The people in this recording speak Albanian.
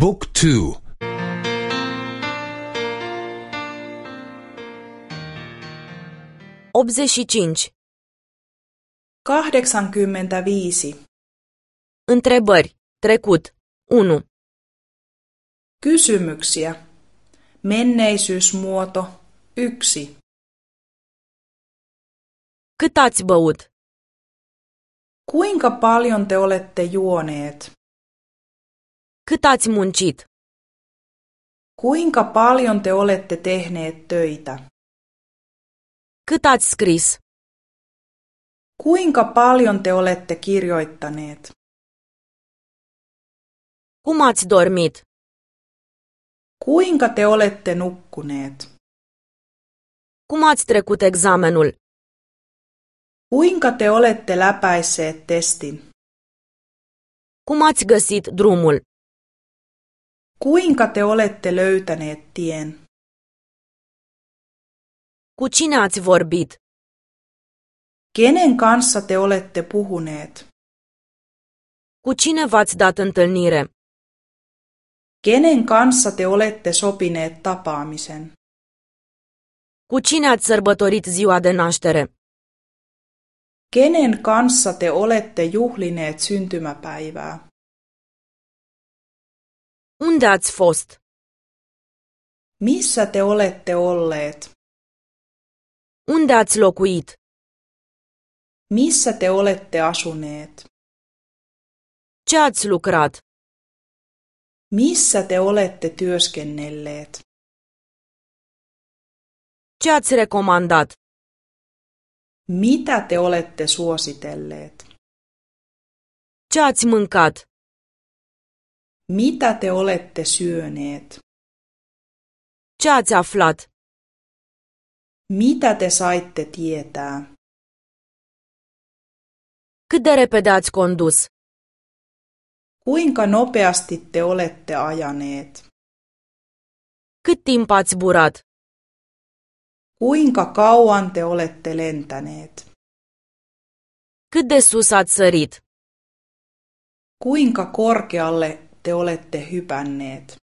บุ๊กทู 85. 85. Întrebări. Trecut. 1. Kysymyksiä. Menneisyysmuoto 1. Cât ați băut? Kuinka paljon te olette juoneet? Cât ați muncit? Kuinka paljon te olette tehneet töitä? Cât ați scris? Kuinka paljon te olette kirjoittaneet? Cum ați dormit? Kuinka te olette nukkuneet? Cum ați trecut examenul? Kuinka te olette läpäisseet testin? Cum ați găsit drumul? Kuinka te olette löytäneet tien? Cu cine ați vorbit? Kenen kanssa te olette puhuneet? Cu cine v-ați dat întâlnire? Kenen kanssa te olette sopineet tapaamisen? Cu cine ați sărbătorit ziua de naștere? Kenen kanssa te olette juhlineet syntymäpäivää? Unde ați fost? Missä te olette olleet? Unde ați locuit? Missä te olette asuneet? Ce ați lucrat? Missä te olette työskennelleet? Ce ați recomandat? Mitä te olette suositelleet? Ce ați mâncat? Mitä te olette syöneet? Ce ați aflat? Mitä te saitte tietää? Cât de repede ați condus? Kuinka nopeasti te olette ajaneet? Cât timp ați zburat? Kuinka kauan te olette lentäneet? Cât de sus ați sărit? Kuinka korkealle te olette hypänneet?